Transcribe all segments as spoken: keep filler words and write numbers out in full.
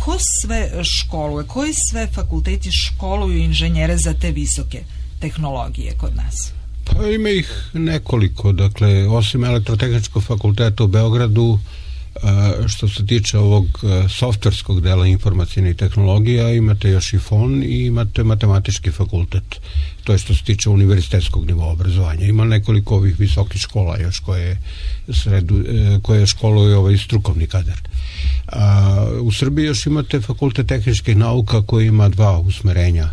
ko sve školuje, koji sve fakulteti školuju inženjere za te visoke tehnologije kod nas? Pa ima ih nekoliko, dakle, osim Elektrotehničkog fakulteta u Beogradu, što se tiče ovog softverskog dela informacijnih tehnologija, imate još i F O N i imate matematički fakultet. To je što se tiče univerzitetskog nivoa obrazovanja. Ima nekoliko ovih visokih škola još koje, sredu, koje školuju ovaj strukovni kadar. A, u Srbiji još imate fakultet tehničkih nauka koji ima dva usmerenja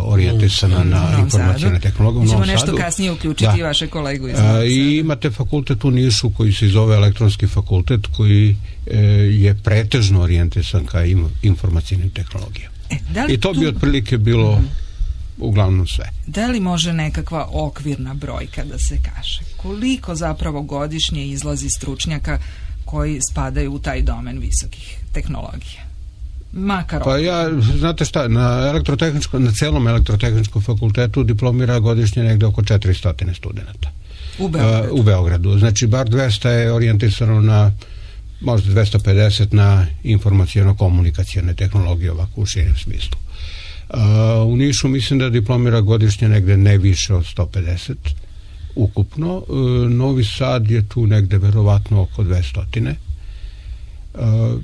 orijentisana na informacijne tehnologije. Mi ćemo nešto kasnije uključiti i vaše kolegu iz Novog Sada. I imate fakultet u Nišu koji se zove Elektronski fakultet, koji e, je pretežno orijentisan ka informacijnim tehnologijama. E, I to tu... bi otprilike bilo uh-huh. uglavnom sve. Da li može nekakva okvirna brojka da se kaže? Koliko zapravo godišnje izlazi stručnjaka koji spadaju u taj domen visokih tehnologija? Makar pa ja, znate šta, na elektrotehničkom, na celom elektrotehničkom fakultetu diplomira godišnje negde oko četiristo studenta. U Beogradu? Uh, u Beogradu. Znači, bar dvesta je orijentisano na, možda dvesta pedeset na informacijono-komunikacijone tehnologije, ovako u širem smislu. Uh, u Nišu mislim da diplomira godišnje negde ne više od sto pedeset ukupno. Uh, Novi Sad je tu negde verovatno oko dvesta. Uh,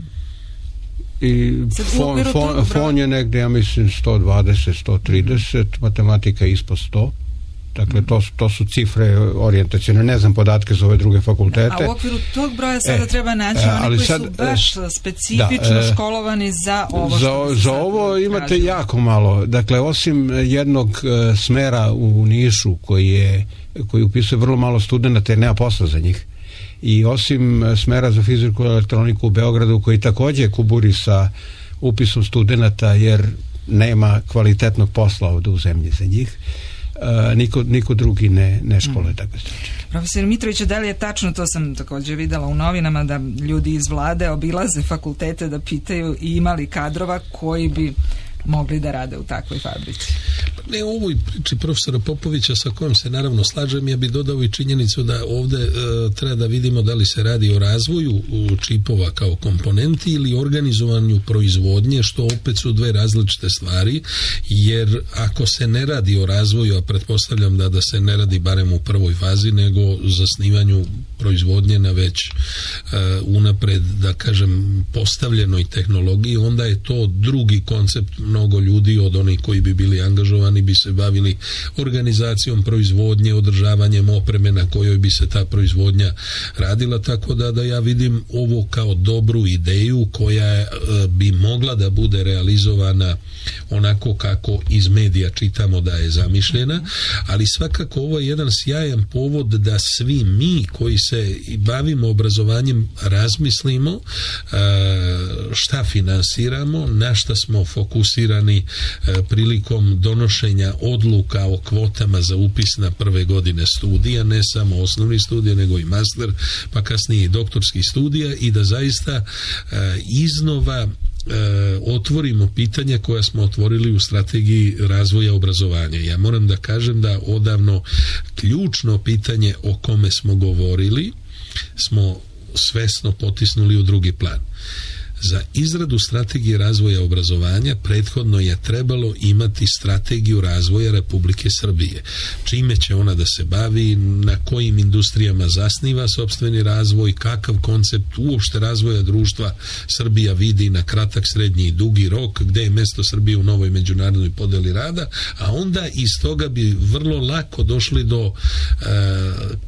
i fon, fon, fon je negde, ja mislim, sto dvadeset, sto trideset, matematika ispod sto. Dakle, to, to su cifre orijentacijone, ne znam podatke za ove druge fakultete. A u okviru tog broja sada e, treba naći e, oni koji sad, su baš specifično da, e, školovani za ovo. Za, za ovo imate tražili. Jako malo. Dakle, osim jednog uh, smera u Nišu koji, je, koji upisuje vrlo malo studenta jer nema posla za njih, i osim smera za fiziku i elektroniku u Beogradu koji takođe kuburi sa upisom studenta jer nema kvalitetnog posla ovde u zemlji za njih, Uh, niko, niko drugi ne, ne školuje mm. takve stručnjake. Profesor Mitrović, da li je tačno, to sam takođe videla u novinama, da ljudi iz vlade obilaze fakultete da pitaju i imali kadrova koji bi mogli da rade u takvoj fabrici? Ne, u ovoj priči profesora Popovića, sa kojom se naravno slažem, ja bih dodao i činjenicu da ovde e, treba da vidimo da li se radi o razvoju čipova kao komponenti ili organizovanju proizvodnje, što opet su dve različite stvari, jer ako se ne radi o razvoju, a pretpostavljam da da se ne radi barem u prvoj fazi, nego zasnivanju proizvodnje na već e, unapred, da kažem, postavljenoj tehnologiji, onda je to drugi koncept. Mnogo ljudi od onih koji bi bili angažovani bi se bavili organizacijom proizvodnje, održavanjem opreme na kojoj bi se ta proizvodnja radila, tako da, da ja vidim ovo kao dobru ideju koja e, bi mogla da bude realizovana onako kako iz medija čitamo da je zamišljena, ali svakako ovo je jedan sjajan povod da svi mi koji se bavimo obrazovanjem razmislimo e, šta finansiramo, na šta smo fokusirani e, prilikom donošenja odluka o kvotama za upis na prve godine studija, ne samo osnovni studija nego i master, pa kasnije i doktorski studija, i da zaista e, iznova E, otvorimo pitanja koja smo otvorili u strategiji razvoja obrazovanja. Ja moram da kažem da odavno ključno pitanje o kome smo govorili smo svesno potisnuli u drugi plan. Za izradu strategije razvoja obrazovanja prethodno je trebalo imati strategiju razvoja Republike Srbije. Čime će ona da se bavi, na kojim industrijama zasniva sopstveni razvoj, kakav koncept uopšte razvoja društva Srbija vidi na kratak, srednji i dugi rok, gde je mesto Srbije u novoj međunarodnoj podeli rada, a onda iz toga bi vrlo lako došli do e,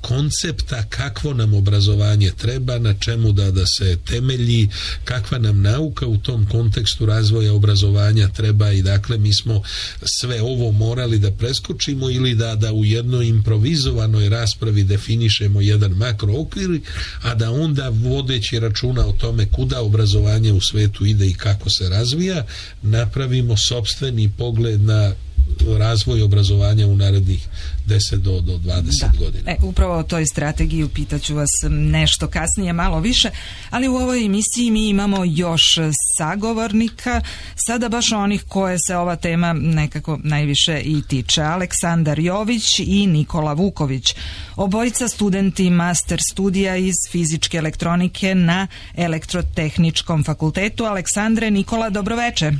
koncepta kakvo nam obrazovanje treba, na čemu da, da se temelji, kakva nam nauka u tom kontekstu razvoja obrazovanja treba, i dakle mi smo sve ovo morali da preskočimo ili da, da u jednoj improvizovanoj raspravi definišemo jedan makro okvir, a da onda vodeći računa o tome kuda obrazovanje u svetu ide i kako se razvija, napravimo sopstveni pogled na razvoj obrazovanja u narednih deset do dvadeset da. godina. E, upravo o toj strategiji pitaću vas nešto kasnije, malo više, ali u ovoj emisiji mi imamo još sagovornika, sada baš onih koje se ova tema nekako najviše i tiče. Aleksandar Jović i Nikola Vuković, obojica studenti master studija iz fizičke elektronike na Elektrotehničkom fakultetu. Aleksandre, Nikola, dobroveče.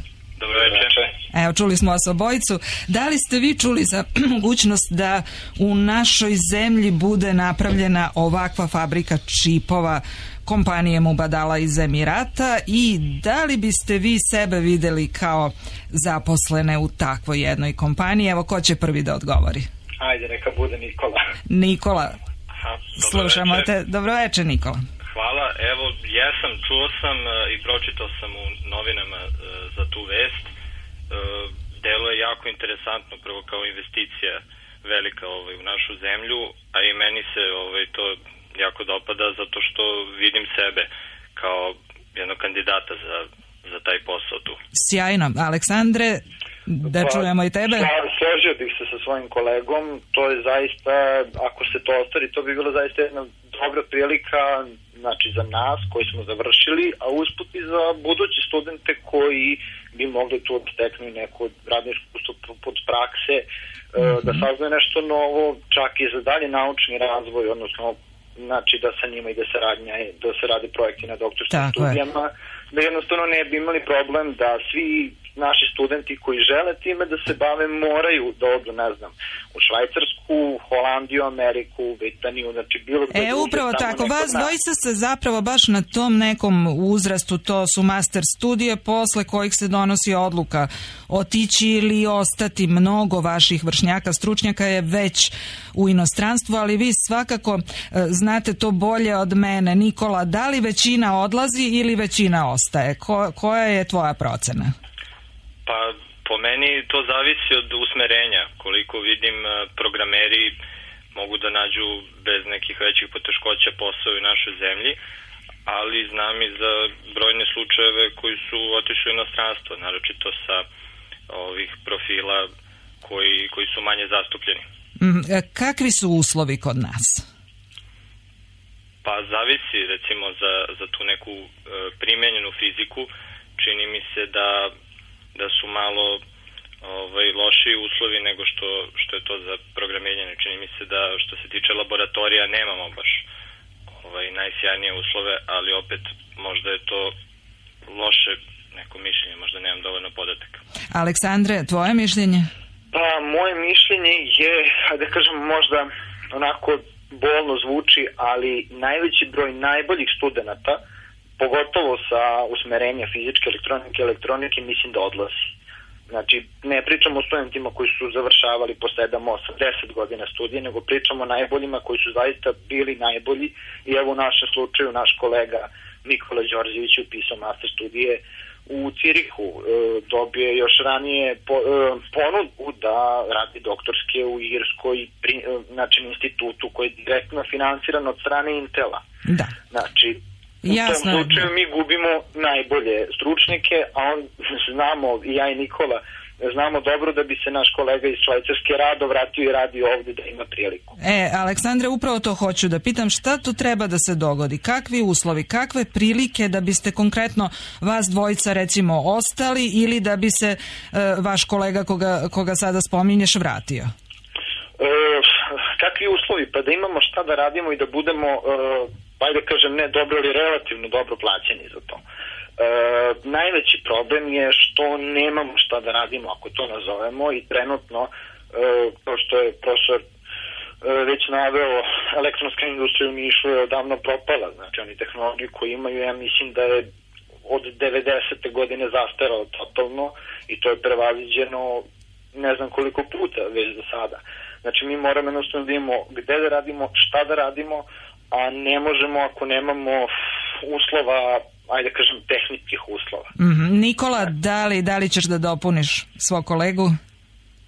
Dobroveče. Evo, čuli smo vas obojicu. Da li ste vi čuli za mogućnost da u našoj zemlji bude napravljena ovakva fabrika čipova kompanije Mubadala iz Emirata i da li biste vi sebe videli kao zaposlene u takvoj jednoj kompaniji? Evo, ko će prvi da odgovori? Ajde, neka bude Nikola. Nikola, Aha, slušamo te. Dobroveče, Nikola. Hvala. Evo, jesam, čuo sam i pročitao sam u novinama za tu vest. Delo je jako interesantno, prvo kao investicija velika ovaj, u našu zemlju, a i meni se ovaj, to jako dopada zato što vidim sebe kao jednog kandidata za, za taj posao tu. Sjajno. Aleksandre, da pa, čujemo i tebe. Složio bih se sa svojim kolegom, to je zaista, ako se to ostvari, to bi bilo zaista jedna dobra prilika, znači za nas koji smo završili, a usput i za buduće studente koji bi mogli tu steknu neko radno iskustvo pod prakse, mm-hmm. da saznaju nešto novo, čak i za dalje naučni razvoj, odnosno znači da sa njima ide saradnja, da se radi projekti na doktorskim Tako studijama, je. Da jednostavno ne bi imali problem da svi naši studenti koji žele time da se bave moraju da odu, ne znam, u Švajcarsku, Holandiju, Ameriku, Britaniju, znači bilo gde. E, upravo tako, vas dvojica se zapravo baš na tom nekom uzrastu, to su master studije, posle kojih se donosi odluka otići ili ostati. Mnogo vaših vršnjaka, stručnjaka je već u inostranstvu, ali vi svakako znate to bolje od mene. Nikola, da li većina odlazi ili većina ostaje? Ko, koja je tvoja procena? Pa po meni to zavisi od usmerenja. Koliko vidim, programeri mogu da nađu bez nekih većih poteškoća posao u našoj zemlji, ali znam i za brojne slučajeve koji su otišli u inostranstvo, naročito sa ovih profila koji, koji su manje zastupljeni. Mm, kakvi su uslovi kod nas? Pa zavisi, recimo za, za tu neku e, primenjenu fiziku, čini mi se da da su malo ovaj, lošiji uslovi nego što, što je to za programiranje. Čini mi se da što se tiče laboratorija nemamo baš ovaj, najsjajnije uslove, ali opet možda je to loše neko mišljenje, možda nemam dovoljno podataka. Aleksandre, tvoje mišljenje? Pa, moje mišljenje je, da kažem, možda onako bolno zvuči, ali najveći broj najboljih studenata, pogotovo sa usmerenja fizičke elektronike, elektronike, mislim da odlazi. Znači, ne pričamo o studentima koji su završavali po sedam, osam, deset godina studije, nego pričamo o najboljima koji su zaista bili najbolji. I evo u našem slučaju, naš kolega Nikola Đorđević je upisao master studije u Cirihu. E, dobio još ranije po, e, ponudu da radi doktorske u Irskoj, pri, e, znači institutu koji je direktno finansiran od strane Intela. Da. Znači, u Jasno. tom slučaju mi gubimo najbolje stručnjake, a on znamo, i ja i Nikola, znamo dobro da bi se naš kolega iz Švajcarske rado vratio i radi ovdje da ima priliku. E, Aleksandre, upravo to hoću da pitam, šta tu treba da se dogodi? Kakvi uslovi, kakve prilike da biste konkretno vas dvojica recimo ostali ili da bi se e, vaš kolega koga, koga sada spominješ vratio? E, kakvi uslovi? Pa da imamo šta da radimo i da budemo, e, pa da kažem, ne dobro, ali relativno dobro plaćeni za to. E, najveći problem je što nemamo šta da radimo, ako to nazovemo, i trenutno, e, kao što je profesor e, već naveo, elektronska industrija u Nišu je odavno propala. Znači, oni tehnologiju koju imaju, ja mislim da je od devedesete godine zastarao totalno i to je prevaziđeno ne znam koliko puta već do sada. Znači, mi moramo jednostavno da imamo gde da radimo, šta da radimo, a ne možemo ako nemamo uslova, ajde kažem, tehničkih uslova. Mm-hmm. Nikola, da li, da li ćeš da dopuniš svog kolegu?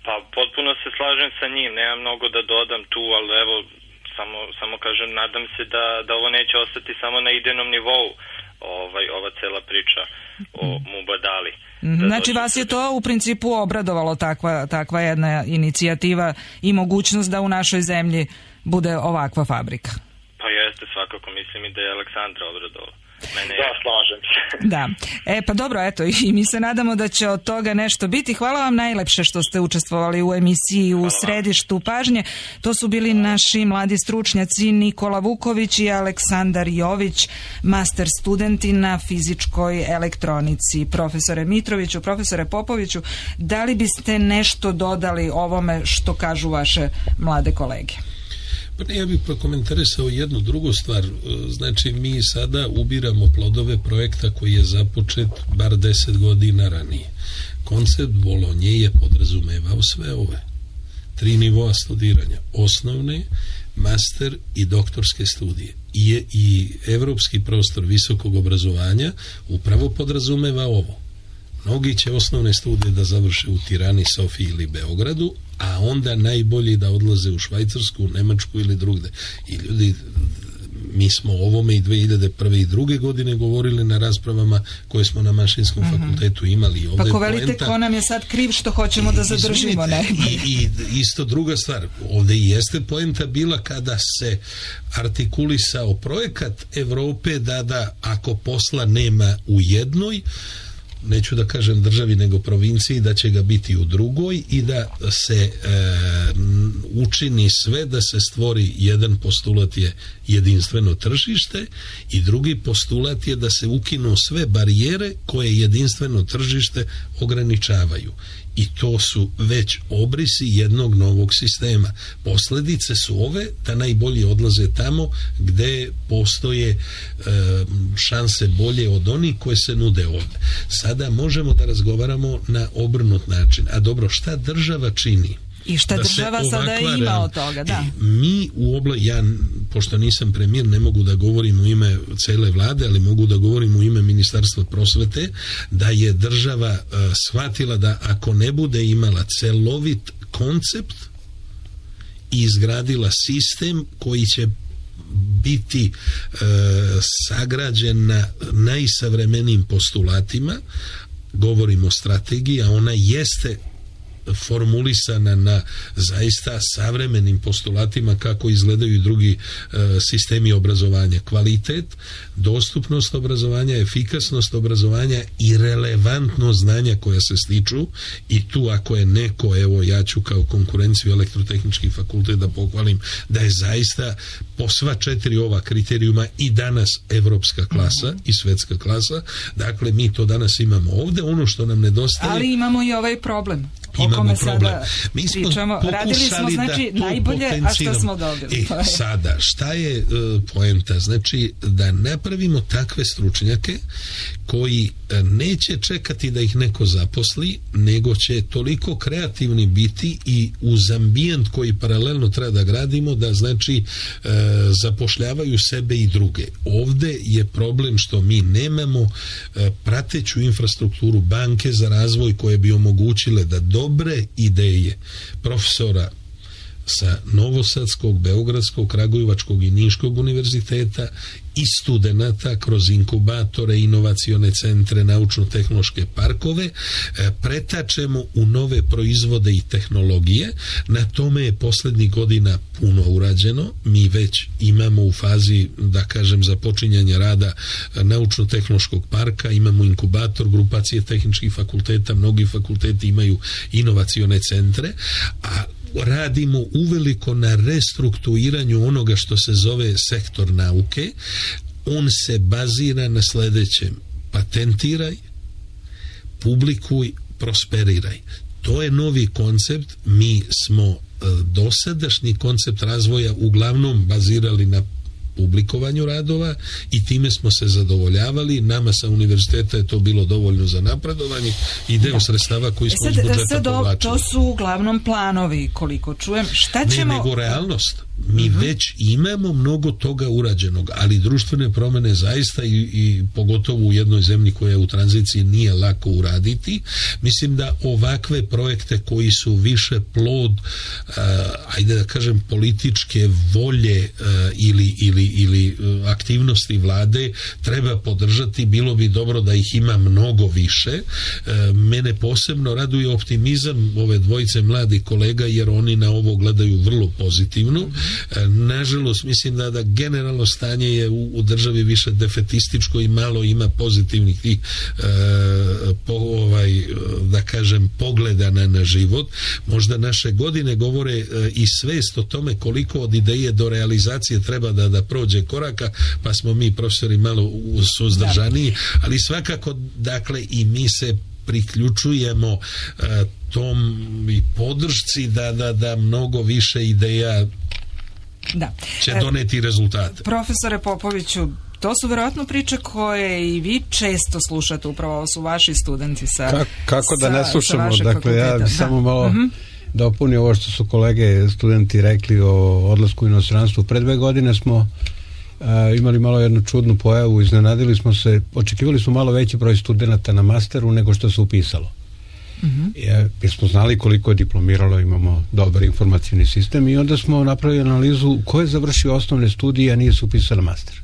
Pa potpuno se slažem sa njim, nemam mnogo da dodam tu, ali evo, samo, samo kažem, nadam se da, da ovo neće ostati samo na idejnom nivou, ovaj, ova cela priča o Mubadali. Znači vas je to u principu obradovalo, takva, takva jedna inicijativa i mogućnost da u našoj zemlji bude ovakva fabrika? Pa jeste, svakako, mislim i da je Aleksandra obradovala. Mene Da, slažem se. Da. E pa dobro, eto, i mi se nadamo da će od toga nešto biti. Hvala vam najlepše što ste učestvovali u emisiji u središtu pažnje. To su bili naši mladi stručnjaci Nikola Vuković i Aleksandar Jović, master studenti na fizičkoj elektronici. Profesore Mitroviću, profesore Popoviću, da li biste nešto dodali ovome što kažu vaše mlade kolege? Pa ne, ja bih prokomentarisao jednu drugu stvar. Znači, mi sada ubiramo plodove projekta koji je započet bar deset godina ranije. Koncept Bolonje je podrazumevao sve ove tri nivoa studiranja: osnovne, master i doktorske studije. I, i evropski prostor visokog obrazovanja upravo podrazumeva ovo. Mnogi će osnovne studije da završe u Tirani, Sofiji ili Beogradu, a onda najbolji da odlaze u Švajcarsku, Nemačku ili drugde. I ljudi, mi smo o ovome i dve hiljade prve i druge godine govorili na raspravama koje smo na Mašinskom mm-hmm. fakultetu imali. Ovdje pa ko velite, poenta, ko nam je sad kriv što hoćemo da zadržimo, ne? I, I isto druga stvar, ovdje i jeste poenta bila kada se artikulisao projekat Evrope da da ako posla nema u jednoj, neću da kažem državi nego provinciji, da će ga biti u drugoj i da se e, učini sve da se stvori. Jedan postulat je jedinstveno tržište i drugi postulat je da se ukinu sve barijere koje jedinstveno tržište ograničavaju. I to su već obrisi jednog novog sistema. Posljedice su ove da najbolji odlaze tamo gde postoje e, šanse bolje od onih koje se nude ovdje. Sada možemo da razgovaramo na obrnut način. A dobro, šta država čini? I šta država sada ima od toga, da. E, mi u obla, ja, pošto nisam premijer, ne mogu da govorim u ime cele vlade, ali mogu da govorim u ime Ministarstva prosvete, da je država uh, shvatila da ako ne bude imala celovit koncept i izgradila sistem koji će biti uh, sagrađen na najsavremenijim postulatima, govorimo o strategiji, a ona jeste formulisana na zaista savremenim postulatima kako izgledaju i drugi e, sistemi obrazovanja. Kvalitet, dostupnost obrazovanja, efikasnost obrazovanja i relevantnost znanja koja se stiču. I tu ako je neko, evo ja ću kao konkurenciju Elektrotehnički fakultet da pohvalim da je zaista po sva četiri ova kriterijuma i danas evropska klasa i svetska klasa. Dakle, mi to danas imamo ovdje. Ono što nam nedostaje... Ali imamo i ovaj problem. Imamo problem. Mi smo pričamo, radili smo znači najbolje, a što smo dobili? E, sada, šta je uh, poenta? Znači da napravimo takve stručnjake koji uh, neće čekati da ih neko zaposli, nego će toliko kreativni biti i uz ambijent koji paralelno treba da gradimo, da znači uh, zapošljavaju sebe i druge. Ovde je problem što mi nemamo uh, prateću infrastrukturu, banke za razvoj koje bi omogućile da dobre ideje profesora sa Novosadskog, Beogradskog, Kragujevačkog i Niškog univerziteta i studenata kroz inkubatore, inovacione centre, naučno-tehnološke parkove pretačemo u nove proizvode i tehnologije. Na tome je posljednjih godina puno urađeno. Mi već imamo u fazi, da kažem, započinjanja rada naučno-tehnološkog parka, imamo inkubator, grupacije tehničkih fakulteta, mnogi fakulteti imaju inovacione centre, a radimo uveliko na restrukturiranju onoga što se zove sektor nauke. On se bazira na sljedećem: patentiraj, publikuj, prosperiraj. To je novi koncept. Mi smo dosadašnji koncept razvoja uglavnom bazirali na publikovanju radova i time smo se zadovoljavali. Nama sa univerziteta je to bilo dovoljno za napredovanje i deo da. sredstava koji smo sad, iz budžeta povlačili. To su uglavnom planovi, koliko čujem. Šta ćemo... Ne, nego realnost. Mi uh-huh. već imamo mnogo toga urađenog, ali društvene promjene zaista i, i pogotovo u jednoj zemlji koja je u tranziciji nije lako uraditi. Mislim da ovakve projekte koji su više plod uh, ajde da kažem političke volje uh, ili, ili, ili uh, aktivnosti vlade treba podržati. Bilo bi dobro da ih ima mnogo više. Uh, mene posebno raduje optimizam ove dvojice mladih kolega, jer oni na ovo gledaju vrlo pozitivno. Nažalost, mislim da, da generalno stanje je u, u državi više defetističko i malo ima pozitivnih tih e, po, ovaj, da kažem pogleda na, na život. Možda naše godine govore e, i svest o tome koliko od ideje do realizacije treba da, da prođe koraka, pa smo mi profesori malo suzdržaniji, ali svakako dakle i mi se priključujemo e, tom i podršci da, da, da mnogo više ideja da. će doneti rezultate. Profesore Popoviću, to su vjerojatno priče koje i vi često slušate, upravo ovo su vaši studenti sa Ka, kako da ne slušamo, dakle fakulteta. Ja da. samo malo uh-huh. dopunio ovo što su kolege studenti rekli o odlasku u inostranstvu. Pre dve godine smo uh, imali malo jednu čudnu pojavu, iznenadili smo se, očekivali smo malo veći broj studenata na masteru nego što se upisalo. Uh-huh. Jer smo znali koliko je diplomiralo, imamo dobar informacijni sistem i onda smo napravili analizu ko je završio osnovne studije, a nije se upisao na master.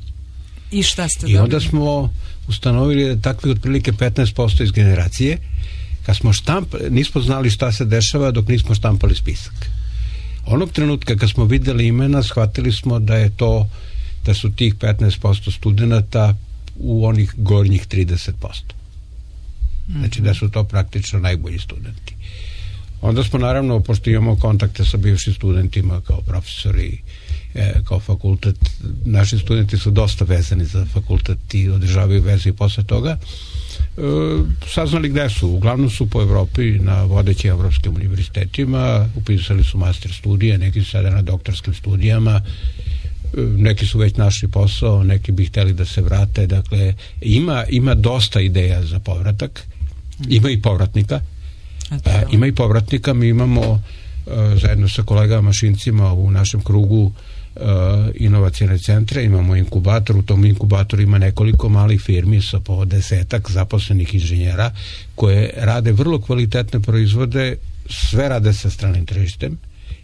I šta ste I dobili? Onda smo ustanovili da takvi otprilike petnaest posto iz generacije, kad smo štamp, nismo znali šta se dešava dok nismo štampali spisak. Onog trenutka kad smo videli imena, shvatili smo da je to, da su tih petnaest posto studenta u onih gornjih trideset posto. Znači da su to praktično najbolji studenti. Onda smo naravno, pošto imamo kontakte sa bivšim studentima kao profesori, e, kao fakultet, naši studenti su dosta vezani za fakultet i održavaju veze i posle toga, e, saznali gde su. Uglavnom su po Evropi na vodećim evropskim univerzitetima, upisali su master studije, neki su sada na doktorskim studijama, neki su već našli posao, neki bi hteli da se vrate, dakle ima, ima dosta ideja za povratak, ima i povratnika, a, ima i povratnika, mi imamo a, zajedno sa kolegama mašincima u našem krugu a, inovacijne centre, imamo inkubator, u tom inkubatoru ima nekoliko malih firmi sa po desetak zaposlenih inženjera koje rade vrlo kvalitetne proizvode, sve rade sa stranim tržištem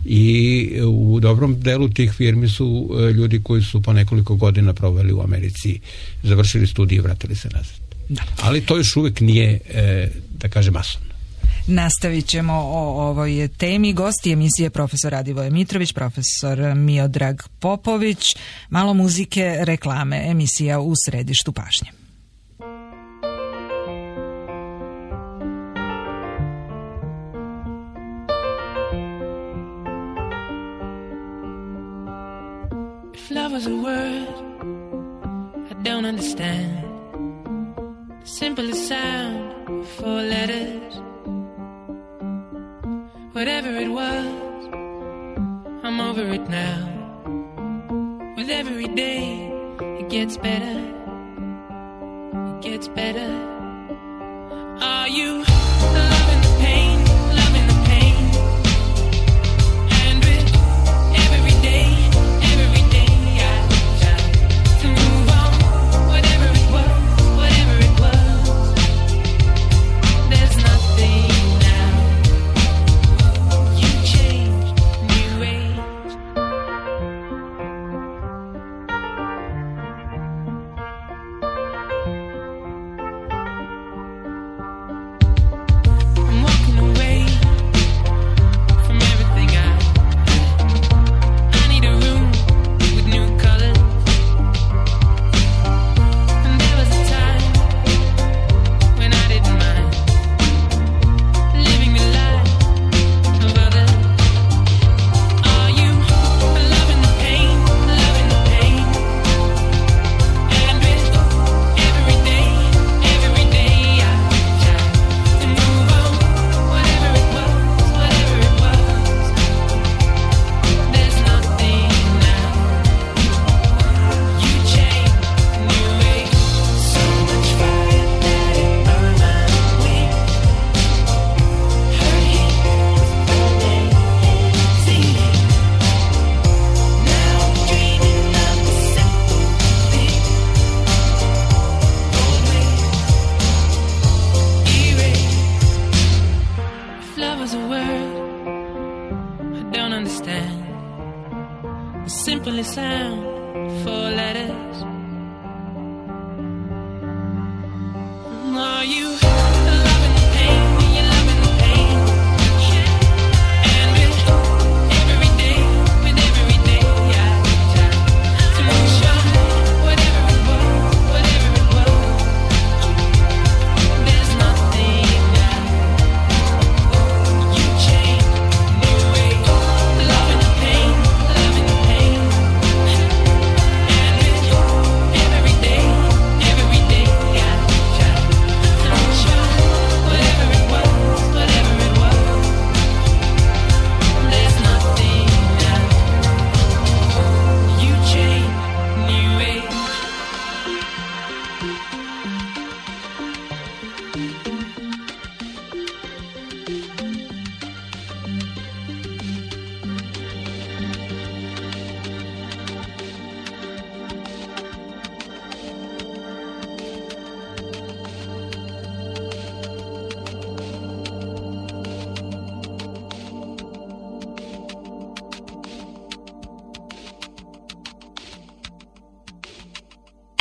i u dobrom delu tih firmi su ljudi koji su po nekoliko godina proveli u Americi, završili studije i vratili se nazad. Da. Ali to još uvijek nije, e, da kažem, masovno. Nastavit ćemo o ovoj temi. Gosti emisije profesor Radivoje Mitrović, profesor Miodrag Popović, malo muzike, reklame, emisija u središtu pažnje. Love was a word I don't understand. The simplest sound, four letters. Whatever it was, I'm over it now. With every day, it gets better. It gets better. Are you loving the pain? Loving the pain? And with every day, every day I try to move on. Whatever it was, whatever it was, there's nothing now. You changed, new age. simply sound four letters. Are you loving the pain? You're loving the pain. And with every day, with every day, I try to make sure whatever it was, whatever it was, there's nothing that you change. New way, loving the pain, loving the pain. And with every day, every day, I try to make sure whatever it was, whatever it was, there's nothing that you change. New way.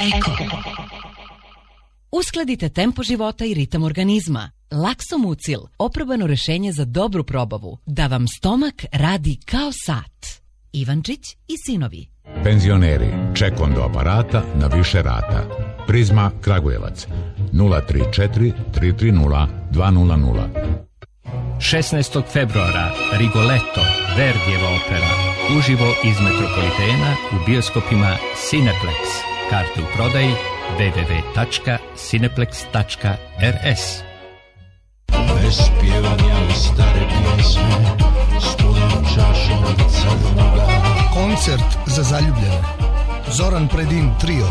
Eko. Uskladite tempo života i ritam organizma. Laksomucil, oprobano rešenje za dobru probavu, da vam stomak radi kao sat. Ivančić i sinovi. Penzioneri, ček onda aparata na više rata. Prizma Kragujevac nula tri četiri tri tri nula dva nula nula. šesnaestog februara Rigoletto, Verdijeva opera, uživo iz Metropolitena u bioskopima Cineplex. Karte u prodaji w w w tačka cineplex tačka r s. Bez pjevanja u stare pjesme, s punom čašom crnoga. Koncert za zaljubljene. Zoran Predin trio.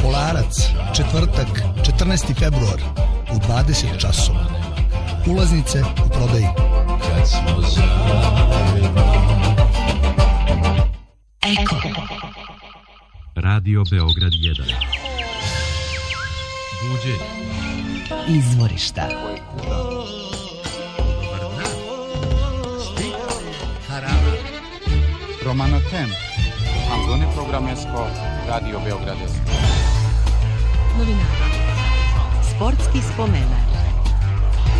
Kolarac, četvrtak, četrnaesti februar u dvadeset časova. Ulaznice u prodaji. Kad smo zajedno. Eko. Radio Beograd jedan. Buđenje. Izvorišta. Harara. Romano Tem. Anzone Programesko. Radio Beograd. Novinara. Sportski spomenar.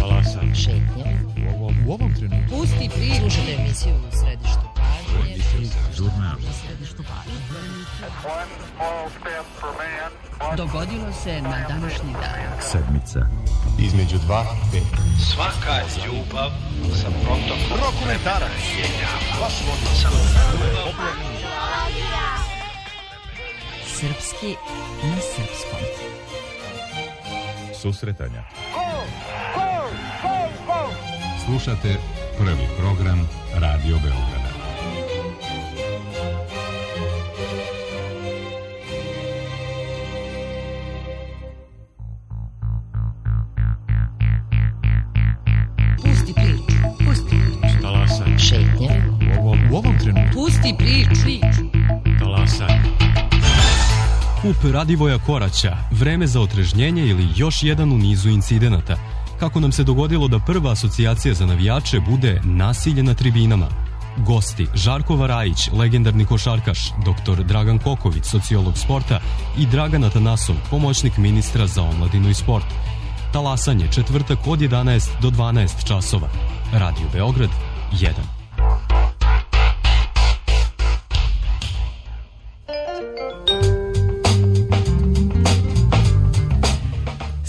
Talasan. Šetnje. U ovom, u ovom trenutku. Pusti priču. Slušajte emisiju u središtu pažnje. Žurnal. U središtu pažnje. Dogodilo se na današnji dan. Sedmica. Između dva, pet. Svaka ljubav sa protokom. Rokometara. Srpski na srpskom. Susretanja. Slušate prvi program Radio Beograda. Pusti priču. Pusti priču. Talasan. Šetnje. U ovom, u ovom trenutku. Pusti priču. Priču. Talasan. Kup Radivoja Koraća, vreme za otrežnjenje ili još jedan u nizu incidenata. Kako nam se dogodilo da prva asocijacija za navijače bude nasilje na tribinama. Gosti Žarko Varajić, legendarni košarkaš, doktor Dragan Koković, sociolog sporta i Dragan Atanasov, pomoćnik ministra za omladinu i sport. Talasanje, četvrtak od jedanaest do dvanaest časova. Radio Beograd jedan.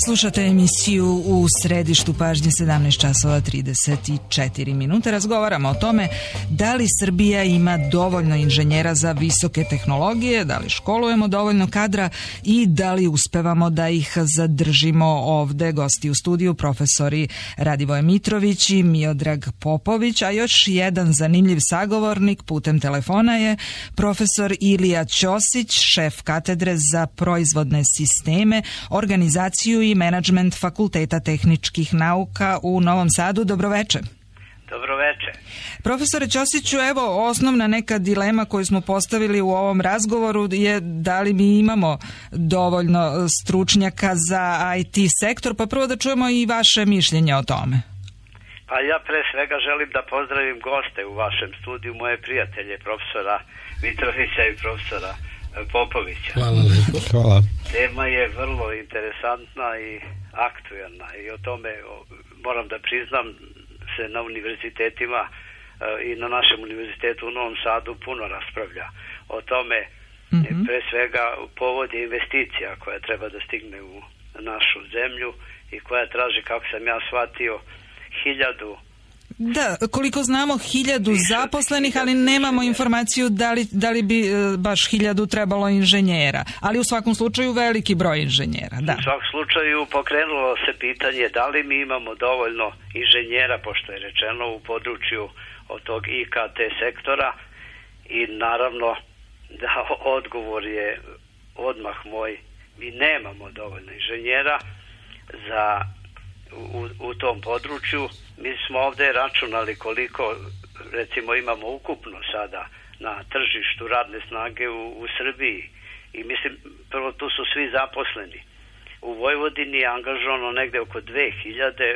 Slušate emisiju u središtu pažnje sedamnaest časova trideset četiri minute. Razgovaramo o tome da li Srbija ima dovoljno inženjera za visoke tehnologije, da li školujemo dovoljno kadra i da li uspevamo da ih zadržimo ovde. Gosti u studiju profesori Radivoje Mitrović i Miodrag Popović, a još jedan zanimljiv sagovornik putem telefona je profesor Ilija Ćosić, šef katedre za proizvodne sisteme, organizaciju i menadžment Fakulteta tehničkih nauka u Novom Sadu. Dobroveče. Dobroveče. Profesore Ćosiću, evo osnovna neka dilema koju smo postavili u ovom razgovoru je da li mi imamo dovoljno stručnjaka za I T sektor, pa prvo da čujemo i vaše mišljenje o tome. Pa ja pre svega želim da pozdravim goste u vašem studiju, moje prijatelje, profesora Mitrovića i profesora Popovića. Hvala lepo. Hvala. Tema je vrlo interesantna i aktuelna i o tome moram da priznam se na univerzitetima i na našem univerzitetu u Novom Sadu puno raspravlja o tome. Mm-hmm. Pre svega povod je investicija koja treba da stigne u našu zemlju i koja traži, kako sam ja shvatio, hiljadu. Da, koliko znamo, hiljadu zaposlenih, ali nemamo informaciju da li, da li bi baš hiljadu trebalo inženjera. Ali u svakom slučaju veliki broj inženjera. Da. U svakom slučaju pokrenulo se pitanje da li mi imamo dovoljno inženjera, pošto je rečeno u području od tog I K T sektora, i naravno da odgovor je odmah moj, mi nemamo dovoljno inženjera za u, u tom području. Mi smo ovdje računali koliko recimo imamo ukupno sada na tržištu radne snage u, u Srbiji i mislim prvo tu su svi zaposleni. U Vojvodini je angažovano negde oko dve hiljade,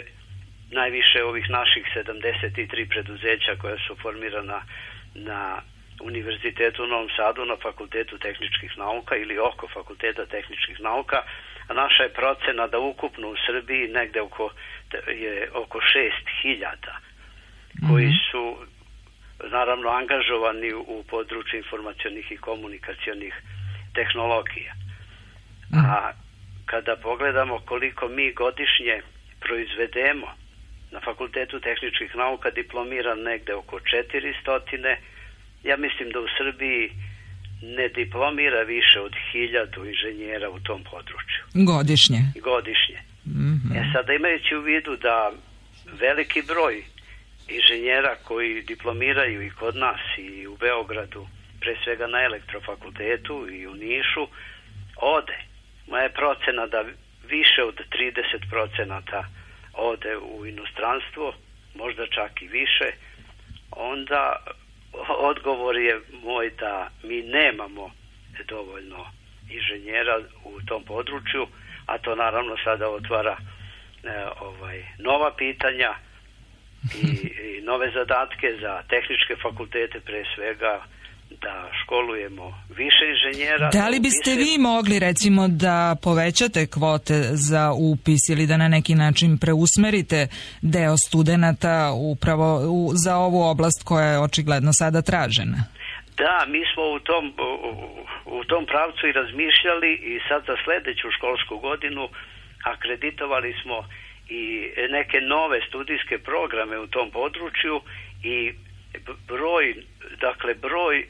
najviše ovih naših sedamdeset tri preduzeća koja su formirana na Univerzitetu u Novom Sadu, na Fakultetu tehničkih nauka ili oko Fakulteta tehničkih nauka, a naša je procena da ukupno u Srbiji negde oko, je oko šest hiljada koji su naravno angažovani u području informacionih i komunikacionih tehnologija. A kada pogledamo koliko mi godišnje proizvedemo, na Fakultetu tehničkih nauka diplomira negde oko četiristo. Ja mislim da u Srbiji ne diplomira više od hiljadu inženjera u tom području. Godišnje? Godišnje. Mm-hmm. E sada, imajući u vidu da veliki broj inženjera koji diplomiraju i kod nas i u Beogradu, pre svega na Elektrofakultetu i u Nišu, ode. Moja je procena da više od trideset procenata ode u inostranstvo, možda čak i više, onda odgovor je moj da mi nemamo dovoljno inženjera u tom području, a to naravno sada otvara e, ovaj, nova pitanja i, i nove zadatke za tehničke fakultete, pre svega da školujemo više inženjera. Da li biste vi mogli recimo da povećate kvote za upis ili da na neki način preusmerite deo studenata upravo u, za ovu oblast koja je očigledno sada tražena? Da, mi smo u tom, u, u tom pravcu i razmišljali i sad za sledeću školsku godinu akreditovali smo i neke nove studijske programe u tom području i broj, dakle broj, e,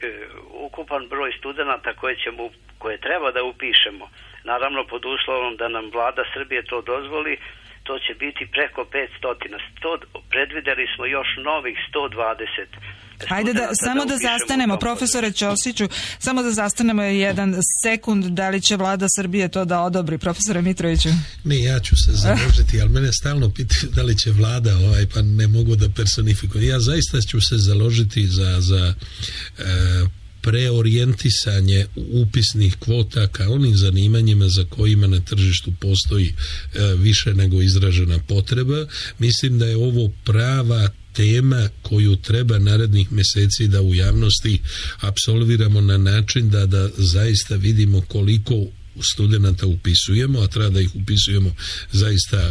ukupan broj studenata koje ćemo, koje treba da upišemo, naravno pod uslovom da nam vlada Srbije to dozvoli, to će biti preko petsto. Predvideli smo još novih sto dvadeset. Hajde da, da samo da zastanemo, profesore Ćosiću, samo da zastanemo jedan sekund, da li će vlada Srbije to da odobri, profesore Mitroviću? Ne, ja ću se založiti, ali mene stalno pitaju da li će vlada, ovaj, pa ne mogu da personifikujem. Ja zaista ću se založiti za, za e, preorijentisanje upisnih kvota ka onim zanimanjima za kojima na tržištu postoji e, više nego izražena potreba. Mislim da je ovo prava tema koju treba narednih meseci da u javnosti apsolviramo na način da, da zaista vidimo koliko studenata upisujemo, a treba da ih upisujemo zaista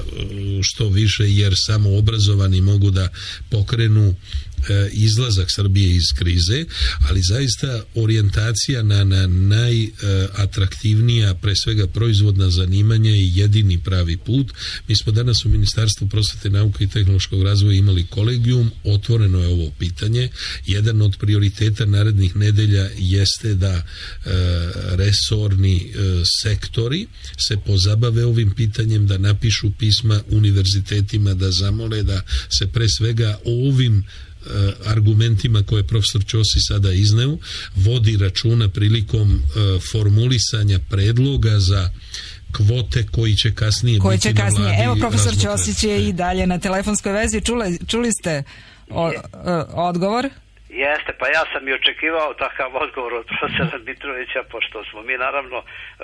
što više, jer samo obrazovani mogu da pokrenu izlazak Srbije iz krize, ali zaista orijentacija na, na najatraktivnija, pre svega proizvodna zanimanja je jedini pravi put. Mi smo danas u Ministarstvu prosvete, nauke i tehnološkog razvoja imali kolegijum, otvoreno je ovo pitanje. Jedan od prioriteta narednih nedelja jeste da e, resorni e, sektori se pozabave ovim pitanjem, da napišu pisma univerzitetima, da zamole da se pre svega ovim argumentima koje je profesor Ćosi sada izneo vodi računa prilikom uh, formulisanja predloga za kvote koji će kasnije koji biti će kasnije. na vladi. Evo, profesor razmotre. Ćosić je i dalje na telefonskoj vezi. Čuli, čuli ste o, o, odgovor? Jeste, pa ja sam i očekivao takav odgovor od profesora Mitrovića, pošto smo mi naravno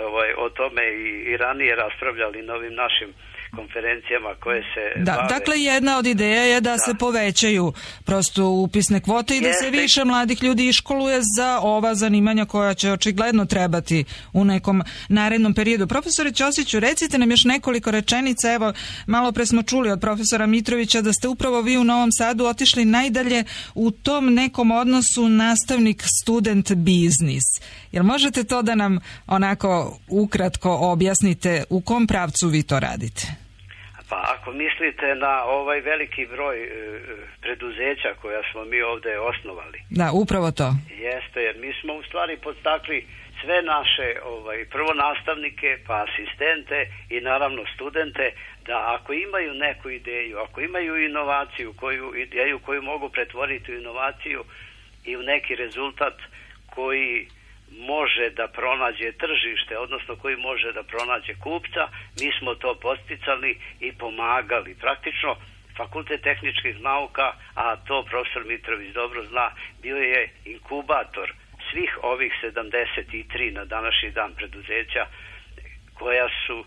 ovaj, o tome i, i ranije raspravljali na ovim našim konferencijama koje se da, bave. Dakle, jedna od ideja je da, da se povećaju prosto upisne kvote i da Jeste. se više mladih ljudi iškoluje za ova zanimanja koja će očigledno trebati u nekom narednom periodu. Profesore Ćosiću, recite nam još nekoliko rečenica. Evo, malo pre smo čuli od profesora Mitrovića da ste upravo vi u Novom Sadu otišli najdalje u tom nekom odnosu nastavnik-student biznis. Jel možete to da nam onako ukratko objasnite u kom pravcu vi to radite? Pa ako mislite na ovaj veliki broj e, preduzeća koja smo mi ovde osnovali. Da, upravo to. Jeste, jer mi smo u stvari podstakli sve naše ovaj, prvo nastavnike, pa asistente i naravno studente, da ako imaju neku ideju, ako imaju inovaciju, koju ideju koju mogu pretvoriti u inovaciju i u neki rezultat koji može da pronađe tržište, odnosno koji može da pronađe kupca, mi smo to posticali i pomagali. Praktično, Fakultet tehničkih nauka, a to profesor Mitrović dobro zna, bio je inkubator svih ovih sedamdeset tri na današnji dan preduzeća koja su,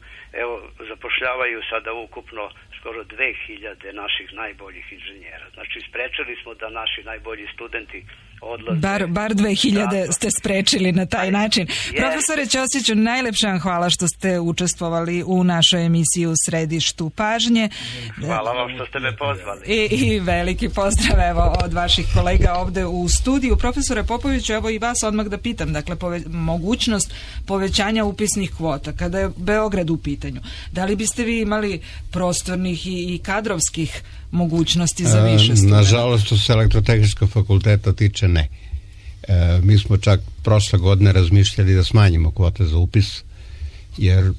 evo, zapošljavaju sada ukupno skoro dve hiljade naših najboljih inženjera. Znači, sprečili smo da naši najbolji studenti odlaze. Bar, bar dve hiljade ste sprečili na taj način. Yes. Profesore Ćosiću, najlepša vam hvala što ste učestvovali u našoj emisiji U središtu pažnje. Hvala vam što ste me pozvali. I, i veliki pozdrav evo od vaših kolega ovde u studiju. Profesore Popoviću, evo i vas odmah da pitam, dakle, pove, mogućnost povećanja upisnih kvota, kada je Beograd u pitanju. Da li biste vi imali prostornih i, i kadrovskih mogućnosti za više studenta? Nažalost, što se elektrotehničkog fakulteta tiče, ne. E, mi smo čak prošle godine razmišljali da smanjimo kvote za upis, jer,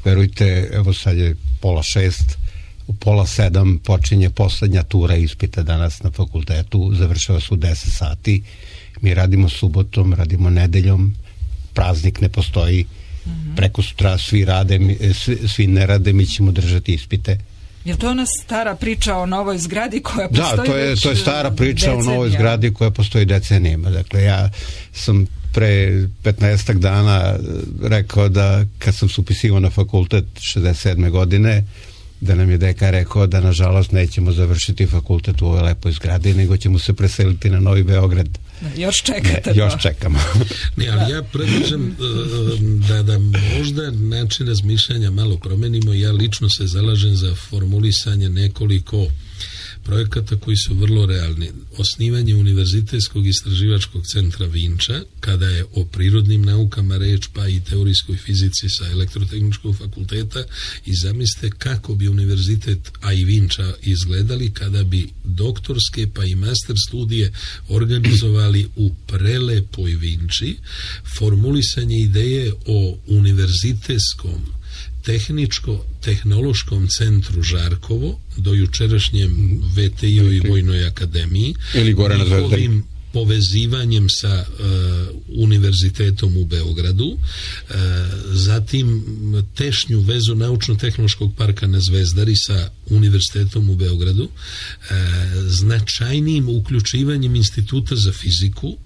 verujte, evo sad je pola šest, u pola sedam počinje poslednja tura ispita danas na fakultetu, završava se u deset sati, mi radimo subotom, radimo nedeljom, praznik ne postoji, mm-hmm. preko sutra svi rade, svi, svi ne rade, mi ćemo držati ispite. Je li to ona stara priča o novoj zgradi koja postoji? Da, to je, već to je stara priča decenija. o novoj zgradi koja postoji decenijama. Dakle, ja sam pre petnaestak dana rekao da kad sam se upisivao na fakultet šezdeset sedme godine, da nam je dekan rekao da nažalost nećemo završiti fakultet u ovoj lepoj zgradi, nego ćemo se preseliti na Novi Beograd. Još čekate ne, još to. čekamo. Ne, ali ja predlažem da, da možda način razmišljanja malo promenimo. Ja lično se zalažem za formulisanje nekoliko projekata koji su vrlo realni. Osnivanje Univerzitetskog istraživačkog centra Vinča, kada je o prirodnim naukama reč, pa i teorijskoj fizici sa elektrotehničkog fakulteta, i zamislite kako bi univerzitet, a i Vinča, izgledali kada bi doktorske pa i master studije organizovali u prelepoj Vinči. Formulisanje ideje o univerzitetskom tehničko-tehnološkom centru Žarkovo, do jučerašnjem V T I-u i Vojnoj akademiji, ili gore na Zvezdari, povezivanjem sa uh, univerzitetom u Beogradu, uh, zatim tešnju vezu naučno-tehnološkog parka na Zvezdari sa univerzitetom u Beogradu, uh, značajnijim uključivanjem Instituta za fiziku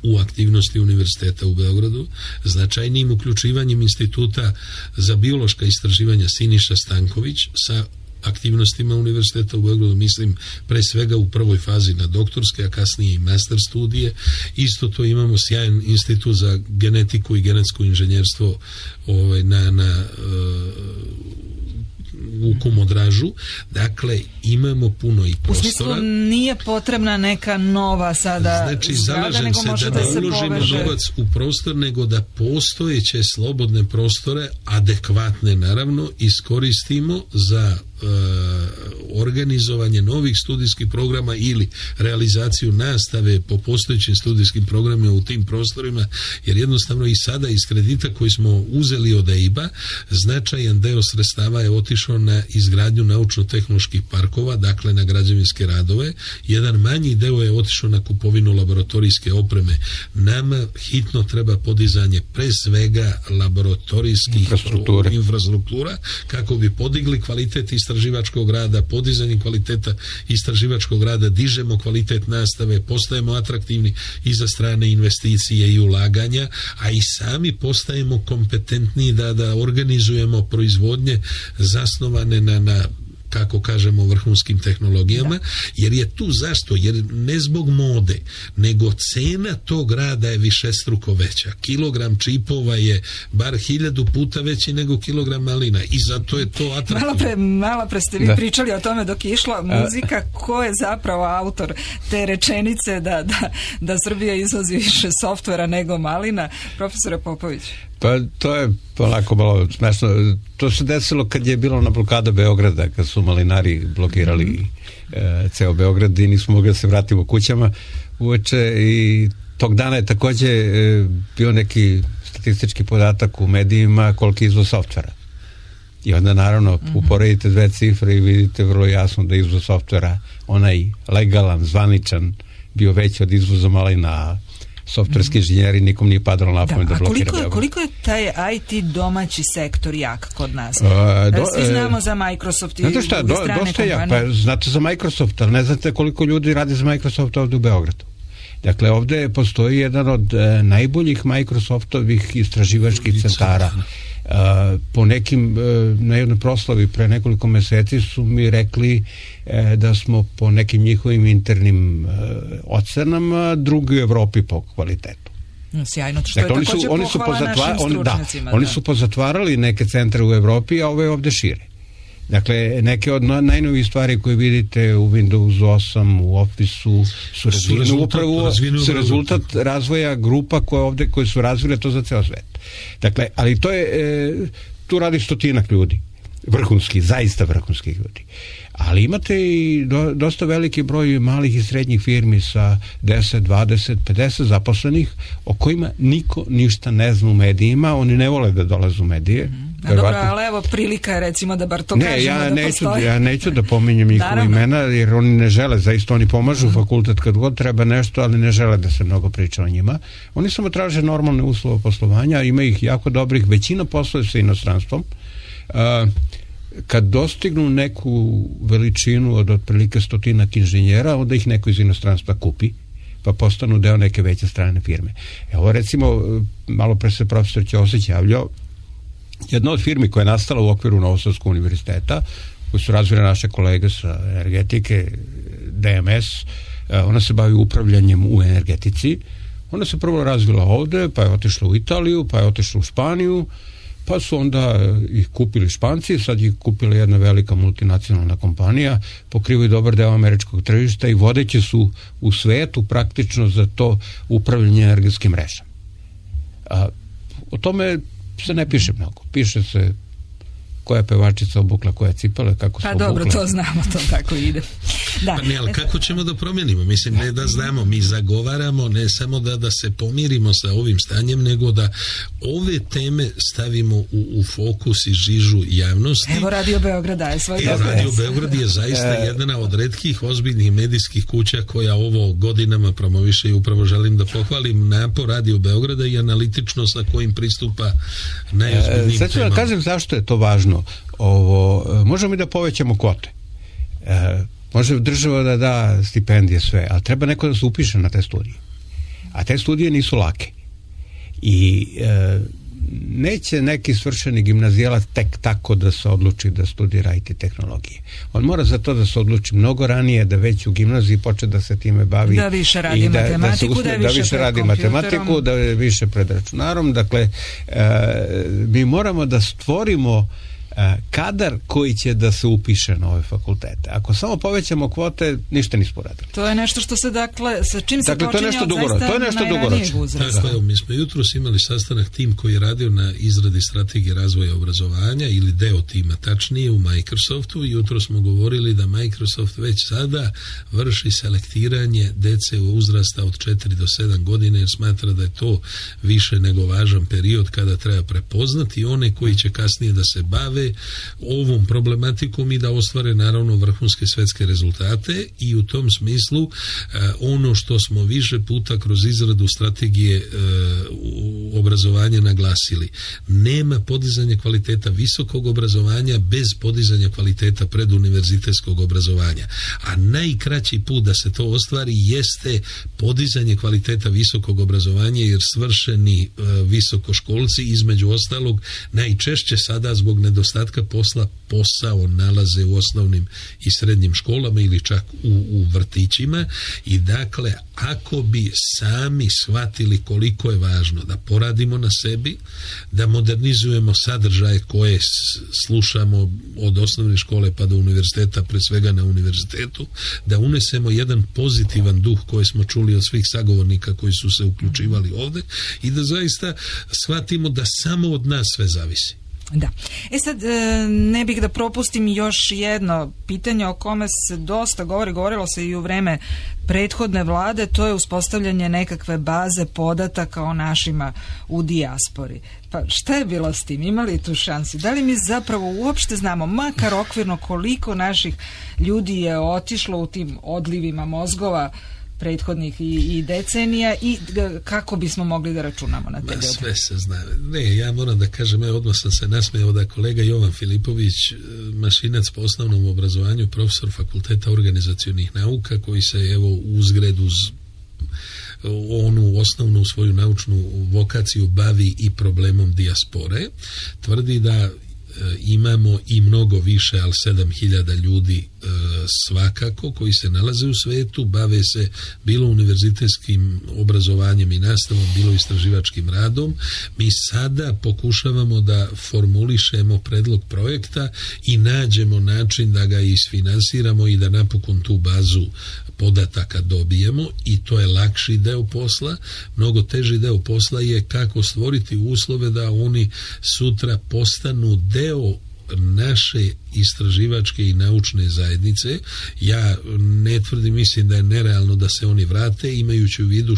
u aktivnosti univerziteta u Beogradu, značajnijim uključivanjem Instituta za biološka istraživanja Siniša Stanković sa aktivnostima univerziteta u Beogradu, mislim pre svega u prvoj fazi na doktorske, a kasnije i master studije. Isto to imamo sjajan institut za genetiku i genetsko inženjerstvo ovaj, na, na u Kumodražu. Dakle, imamo puno i prostora. U smislu, nije potrebna neka nova sada znači, zgrada, zalažem nego se može da da, ne se uložimo poveže novac u prostor, nego da postojeće slobodne prostore, adekvatne naravno, iskoristimo za uh, organizovanje novih studijskih programa ili realizaciju nastave po postojećim studijskim programima u tim prostorima, jer jednostavno i sada iz kredita koji smo uzeli od E I B-a, značajan deo sredstava je otišao na izgradnju naučno-tehnoloških parkova, dakle na građevinske radove. Jedan manji deo je otišao na kupovinu laboratorijske opreme. Nama hitno treba podizanje pre svega laboratorijskih infrastruktura, kako bi podigli kvalitet istraživačkog rada, podizanjem kvaliteta istraživačkog rada dižemo kvalitet nastave, postajemo atraktivni i za strane investicije i ulaganja, a i sami postajemo kompetentni da, da organizujemo proizvodnje zasnovane na, na kako kažemo, vrhunskim tehnologijama, jer je tu zašto? Jer ne zbog mode, nego cena tog rada je višestruko veća. Kilogram čipova je bar hiljadu puta veći nego kilogram malina i zato je to atraktivno. Malo pre, malo pre ste vi Da. pričali o tome dok je išla muzika, ko je zapravo autor te rečenice da, da, da Srbija izvozi više softvera nego malina? Profesore Popović. Pa to je polako malo smešno. To se desilo kad je bilo na blokada Beograda, kad su malinari blokirali mm-hmm. e, ceo Beograd i nismo mogli da se vratimo kućama uveče i tog dana je takođe e, bio neki statistički podatak u medijima koliki izvoz softvera. I onda naravno mm-hmm. uporedite dve cifre i vidite vrlo jasno da izvoz softvera, onaj legalan, zvaničan, bio veći od izvoza malina. Softverski inženjeri, nikom nije padalo na pamet da, da blokira. Koliko je, koliko je taj I T domaći sektor jak kod nas? Uh, do, Svi znamo za Microsoft i znate šta, druge do, strane dosta jak, kompanije. pa znate za Microsoft, ali ne znate koliko ljudi radi za Microsoft ovdje u Beogradu. Dakle, ovdje postoji jedan od e, najboljih Microsoftovih istraživačkih centara. Uh, po nekim, uh, na jednoj proslavi pre nekoliko meseci su mi rekli uh, da smo po nekim njihovim internim uh, ocenama drugi u Evropi po kvalitetu. Sjajno, što dakle, je oni su, također oni su pohvala pozatva, našim on, stručnjacima. Da, da. oni su pozatvarali neke centre u Evropi, a ove ovdje šire. Dakle, neke od najnovijih stvari koje vidite u Windows osam, u Office-u su razvijene upravo su rezultat razvoja grupa koje ovdje, koje su razvile to za ceo svet. Dakle, ali to je, e, tu radi stotinak ljudi, vrhunski, zaista vrhunskih ljudi. Ali imate i do, dosta veliki broj malih i srednjih firmi sa deset, dvadeset, pedeset zaposlenih o kojima niko ništa ne zna u medijima, oni ne vole da dolaze u medije. Mm-hmm. A dobro, ali evo prilika je recimo da bar to ne, kažemo ja da neću, postoji. ja neću da pominjem njihova imena jer oni ne žele, zaista oni pomažu mm-hmm. fakultet kad god treba nešto, ali ne žele da se mnogo priča o njima. Oni samo traže normalne uslove poslovanja, ima ih jako dobrih, većina posluje sa inostranstvom. Uh, kad dostignu neku veličinu od otprilike stotinak inženjera, onda ih neko iz inostranstva kupi, pa postanu deo neke veće strane firme. Evo recimo, malo pre se profesor Ćosić javljao, jedna od firmi koja je nastala u okviru Novosadskog univerziteta, koji su razvile naše kolege sa energetike, D M S, ona se bavi upravljanjem u energetici. Ona se prvo razvila ovde, pa je otišla u Italiju, pa je otišla u Španiju, pa su onda ih kupili Španci, sad ih kupila jedna velika multinacionalna kompanija, pokrivaju dobar deo američkog tržišta i vodeći su u svetu praktično za to upravljanje energetskim mrežama. A, o tome se ne piše mnogo. Piše se koja je pevačica obukla koje cipele, kako su pa obukle. dobro, to znamo, to tako ide. Da. Pa ne, ali kako ćemo da promijenimo? Mislim, ne da znamo, mi zagovaramo ne samo da, da se pomirimo sa ovim stanjem, nego da ove teme stavimo u, u fokus i žižu javnosti. Evo Radio Beograd daje svoj Evo doprinos. Radio Beograd je zaista jedna od retkih ozbiljnih medijskih kuća koja ovo godinama promoviše i upravo želim da pohvalim napor Radio Beograda i analitično sa kojim pristupa najozbiljnijim Sad ću da kažem zašto je to važno. Ovo, možemo i da povećamo kvote. E, može država da da stipendije sve, ali treba neko da se upiše na te studije. A te studije nisu lake. I e, neće neki svršeni gimnazijalac tek tako da se odluči da studira I T tehnologije. On mora za to da se odluči mnogo ranije, da već u gimnaziji počne da se time bavi. Da više radi i da, matematiku, da, usme, da, da više, više radi matematiku, da je više pred računarom. Dakle, e, mi moramo da stvorimo kadar koji će da se upiše na ove fakultete. Ako samo povećamo kvote, ništa nismo radili. To je nešto što se, dakle, sa čim se dakle, počinje to je od zaista to je nešto dugoročno. Tako je, mi smo jutros imali sastanak tim koji je radio na izradi strategije razvoja obrazovanja ili deo tima, tačnije u Microsoftu. Jutro smo govorili da Microsoft već sada vrši selektiranje dece u uzrasta od četiri do sedam godine jer smatra da je to više nego važan period kada treba prepoznati one koji će kasnije da se bave ovom problematikom i da ostvare naravno vrhunske svetske rezultate i u tom smislu ono što smo više puta kroz izradu strategije obrazovanja naglasili. Nema podizanja kvaliteta visokog obrazovanja bez podizanja kvaliteta preduniverzitetskog obrazovanja. A najkraći put da se to ostvari jeste podizanje kvaliteta visokog obrazovanja, jer svršeni e, visokoškolci između ostalog najčešće sada zbog nedostatka posla posao nalaze u osnovnim i srednjim školama ili čak u, u vrtićima. I dakle, ako bi sami shvatili koliko je važno da poradimo na sebi, da modernizujemo sadržaje koje slušamo od osnovne škole pa do univerziteta, pre svega na univerzitetu, da unesemo jedan pozitivan duh koji smo čuli od svih sagovornika koji su se uključivali ovde i da zaista shvatimo da samo od nas sve zavisi. Da. E sad, ne bih da propustim još jedno pitanje o kome se dosta govori, govorilo se i u vreme prethodne vlade, to je uspostavljanje nekakve baze podataka o našima u dijaspori. Pa šta je bilo s tim? Ima li tu šansi? Da li mi zapravo uopšte znamo, makar okvirno, koliko naših ljudi je otišlo u tim odlivima mozgova prethodnih i, i decenija i kako bismo mogli da računamo na te ljude? Sve se zna. Ne, ja moram da kažem, ja odmah sam se nasmejao da kolega Jovan Filipović, mašinac po osnovnom obrazovanju, profesor Fakulteta organizacionih nauka, koji se evo uzgred uz onu osnovnu svoju naučnu vokaciju bavi i problemom dijaspore, tvrdi da imamo i mnogo više, ali sedam hiljada ljudi e, svakako koji se nalaze u svetu, bave se bilo univerzitetskim obrazovanjem i nastavom, bilo istraživačkim radom. Mi sada pokušavamo da formulišemo predlog projekta i nađemo način da ga isfinansiramo i da napokon tu bazu podataka dobijemo, i to je lakši deo posla. Mnogo teži deo posla je kako stvoriti uslove da oni sutra postanu deo naše istraživačke i naučne zajednice. Ja ne tvrdim, mislim da je nerealno da se oni vrate, imajući u vidu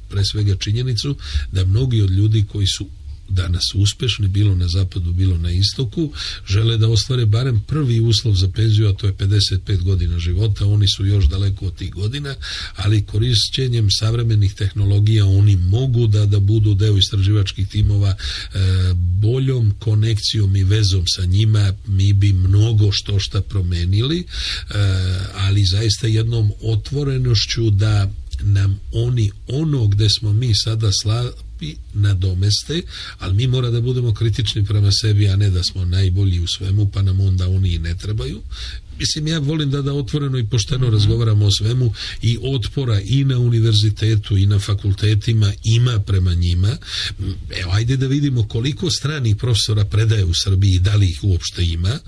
pre svega činjenicu da mnogi od ljudi koji su danas uspešni, bilo na zapadu, bilo na istoku, žele da ostvare barem prvi uslov za penziju, a to je pedeset pet godina života. Oni su još daleko od tih godina, ali korišćenjem savremenih tehnologija oni mogu da, da budu deo istraživačkih timova. E, boljom konekcijom i vezom sa njima mi bi mnogo što šta promenili, e, ali zaista jednom otvorenošću da nam oni ono gde smo mi sada slabi nadomeste, ali mi mora da budemo kritični prema sebi, a ne da smo najbolji u svemu, pa nam onda oni i ne trebaju. Mislim, ja volim da da otvoreno i pošteno razgovaramo o svemu, i otpora i na univerzitetu i na fakultetima ima prema njima. Evo, ajde da vidimo koliko stranih profesora predaje u Srbiji i da li ih uopšte ima.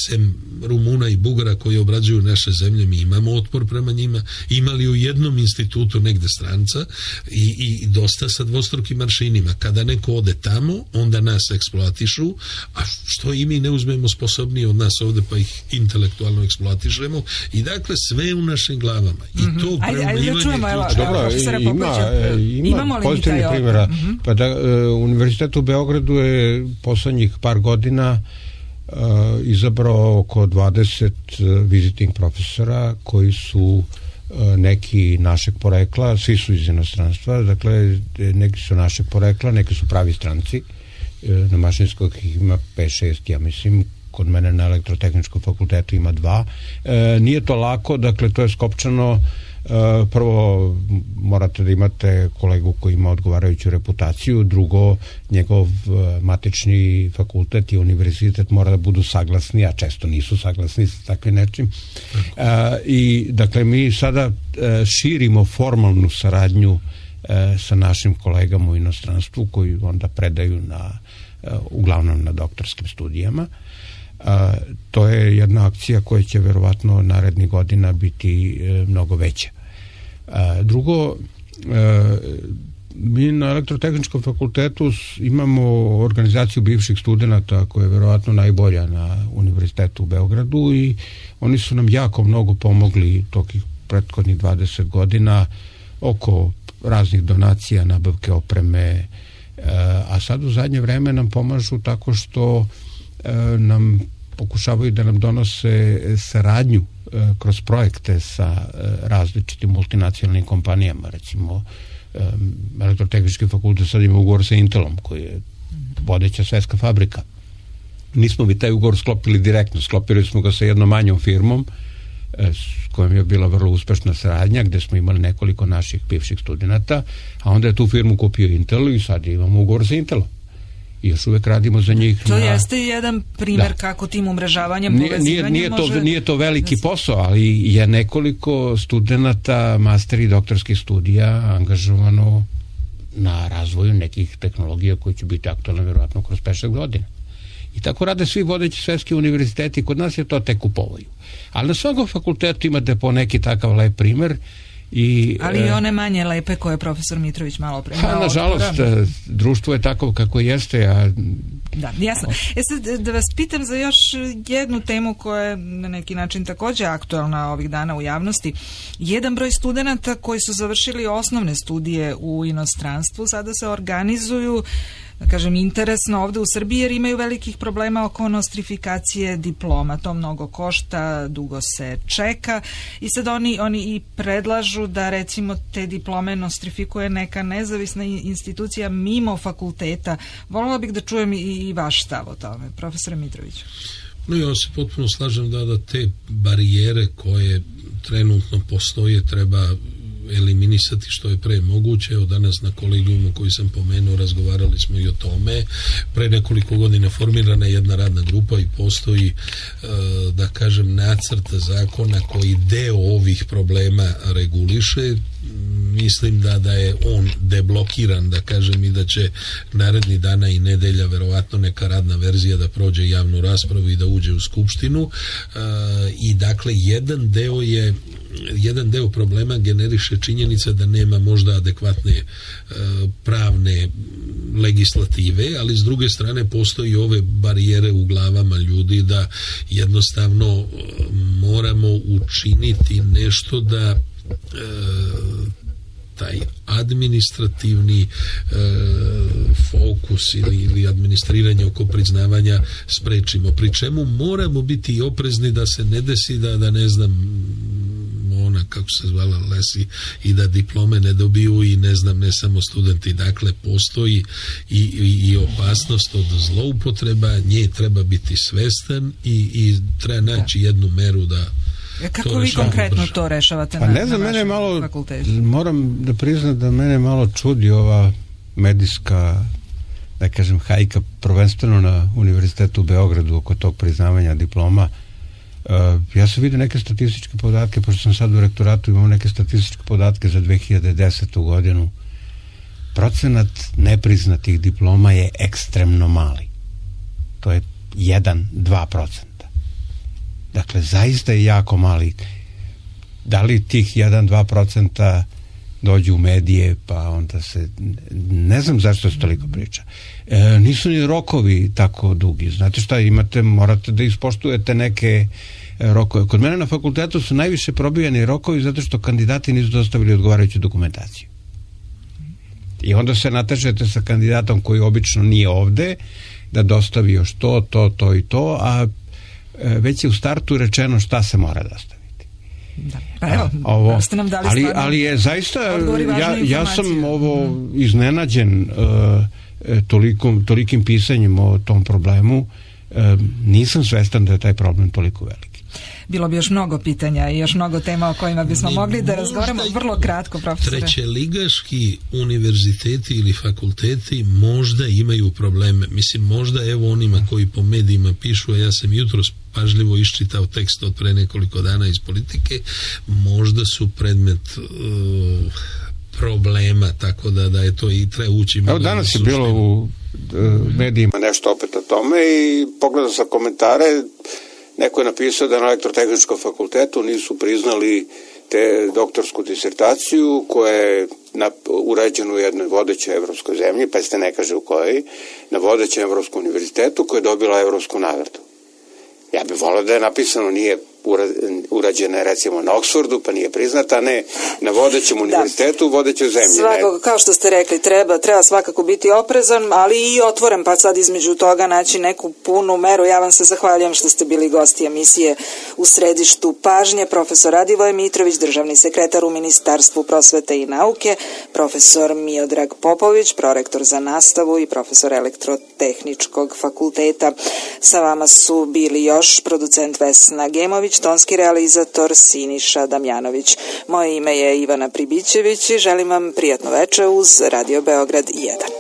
Sem Rumuna i Bugara koji obrađuju naše zemlje, mi imamo otpor prema njima. Imali u jednom institutu negde stranca i, i dosta sa dvostrukim aršinima. Kada neko ode tamo, onda nas eksploatišu, a što i mi ne uzmemo sposobniji od nas ovde pa ih intelektualno eksploatišemo, i dakle sve u našim glavama. I mm-hmm. to ajde, ajde da čujemo, evo, dobro, ima, ima pozitivnih primjera. Mm-hmm. Pa da, uh, Univerzitet u Beogradu je poslednjih par godina Uh, izabrao oko dvadeset uh, visiting profesora koji su uh, neki našeg porekla, svi su iz inostranstva, dakle neki su našeg porekla, neki su pravi stranci. Uh, na Mašinskog ima pet šest, ja mislim, kod mene na Elektrotehničkom fakultetu ima dva. Uh, nije to lako, dakle to je skopčano. Uh, prvo morate da imate kolegu koji ima odgovarajuću reputaciju, drugo njegov uh, matični fakultet i univerzitet mora da budu saglasni, a često nisu saglasni sa takvim nečim. Uh, i dakle mi sada uh, širimo formalnu saradnju uh, sa našim kolegama u inostranstvu koji onda predaju na, uh, uglavnom na doktorskim studijama. Uh, to je jedna akcija koja će verovatno narednih godina biti uh, mnogo veća. Uh, drugo, uh, mi na Elektrotehničkom fakultetu imamo organizaciju bivših studenta koja je verovatno najbolja na Univerzitetu u Beogradu, i oni su nam jako mnogo pomogli tokih prethodnih dvadeset godina oko raznih donacija, nabavke opreme, uh, a sad u zadnje vreme nam pomažu tako što uh, nam pokušavaju da nam donose saradnju e, kroz projekte sa e, različitim multinacionalnim kompanijama. Recimo, Elektrotehnički fakultet sad ima ugovor sa Intelom, koji je vodeća svetska fabrika. Nismo bi taj ugovor sklopili direktno, sklopili smo ga sa jednom manjom firmom s kojom je bila vrlo uspešna saradnja, gde smo imali nekoliko naših bivših studenta, a onda je tu firmu kupio Intel i sad imamo ugovor sa Intelom. I još uvek radimo za njih. To na... jeste jedan primjer da. Kako tim umrežavanjem, povezivanjem nije, nije, može... to, nije to veliki posao, ali je nekoliko studenta, master i doktorskih studija angažovano na razvoju nekih tehnologija koji će biti aktualne vjerovatno kroz pet šest godina. I tako rade svi vodeći svetski univerziteti, kod nas je to tek u povoju. Ali na svakom fakultetu imate po neki takav lep primer. I, ali i one manje lepe koje je profesor Mitrović malo pre. Pa, nažalost, društvo je tako kako jeste. A... Da, jasno. E sad, da vas pitam za još jednu temu koja je na neki način također aktualna ovih dana u javnosti. Jedan broj studenata koji su završili osnovne studije u inostranstvu sada se organizuju, da kažem, interesno ovde u Srbiji, jer imaju velikih problema oko nostrifikacije diploma. To mnogo košta, dugo se čeka i sad oni, oni i predlažu da recimo te diplome nostrifikuje neka nezavisna institucija mimo fakulteta. Voljela bih da čujem i, i vaš stav o tome, profesore Mitroviću. No, ja se potpuno slažem da, da te barijere koje trenutno postoje treba eliminisati što je pre moguće. Evo danas na kolegijumu koji sam pomenuo razgovarali smo i o tome. Pre nekoliko godina formirana je jedna radna grupa i postoji, da kažem, nacrt zakona koji deo ovih problema reguliše. Mislim da, da je on deblokiran, da kažem, i da će naredni dana i nedelja verovatno neka radna verzija da prođe javnu raspravu i da uđe u skupštinu. I dakle, jedan deo je jedan deo problema generiše činjenica da nema možda adekvatne e, pravne legislative, ali s druge strane postoji ove barijere u glavama ljudi da jednostavno e, moramo učiniti nešto da e, taj administrativni e, fokus ili, ili administriranje oko priznavanja sprečimo. Pri čemu moramo biti oprezni da se ne desi da, da ne znam, ona, kako se zvala, Lesi, i da diplome ne dobiju i ne znam, ne samo studenti. Dakle, postoji i, i, i opasnost od zloupotreba, nje treba biti svestan i, i treba naći jednu meru da kako vi konkretno brže. To rešavate pa na, ne znam, na mene malo, fakultetu? Moram da priznam da mene malo čudi ova medijska, da kažem, hajka, prvenstveno na Univerzitetu u Beogradu oko tog priznavanja diploma. Uh, ja sam vidio neke statističke podatke, pošto sam sad u rektoratu, imam neke statističke podatke za dve hiljade desetu godinu. Procenat nepriznatih diploma je ekstremno mali. To je jedan do dva procenta. Dakle, zaista je jako mali. Da li tih jedan do dva procenta dođu u medije, pa onda se... Ne znam zašto se toliko priča. E, nisu ni rokovi tako dugi. Znate šta, imate, morate da ispoštujete neke rokove. Kod mene na fakultetu su najviše probijani rokovi zato što kandidati nisu dostavili odgovarajuću dokumentaciju. I onda se natežete sa kandidatom koji obično nije ovde, da dostavi još to, to, to i to, a već je u startu rečeno šta se mora dostaviti. Da. Pa evo, ovo, ste nam dali ali, ali je zaista, ja, ja sam ovo mm. iznenađen uh, tolikom, tolikim pisanjem o tom problemu. Uh, nisam svestan da je taj problem toliko veliki. Bilo bi još mnogo pitanja i još mnogo tema o kojima bismo ne, mogli da razgovaramo. Vrlo kratko, profesore. Trećeligaški univerziteti ili fakulteti možda imaju probleme. Mislim, možda evo onima koji po medijima pišu, a ja sam jutros pažljivo iščitao tekst od pre nekoliko dana iz Politike, možda su predmet uh, problema, tako da, da je to i treba ući. Evo danas je bilo u uh, medijima nešto opet o tome i pogledao sam komentare. Neko je napisao da na Elektrotehničkom fakultetu nisu priznali te doktorsku disertaciju koja je na, urađena u jednoj vodećoj evropskoj zemlji, pa ste ne kaže u kojoj, na vodećem evropskom univerzitetu koja je dobila evropsku nagradu. Ja bih volio da je napisano nije urađena recimo na Oksfordu, pa nije priznata, ne na vodećem univerzitetu, da. vodećoj zemlji. Svakako, kao što ste rekli, treba, treba svakako biti oprezan, ali i otvoren, pa sad između toga naći neku punu meru. Ja vam se zahvaljujem što ste bili gosti emisije U središtu pažnje. Profesor Radivoje Mitrović, državni sekretar u Ministarstvu prosvete i nauke, profesor Miodrag Popović, prorektor za nastavu i profesor Elektrotehničkog fakulteta. Sa vama su bili još producent Vesna Gemović, tonski realizator Siniša Damjanović. Moje ime je Ivana Pribićević i želim vam prijatno veče uz Radio Beograd jedan.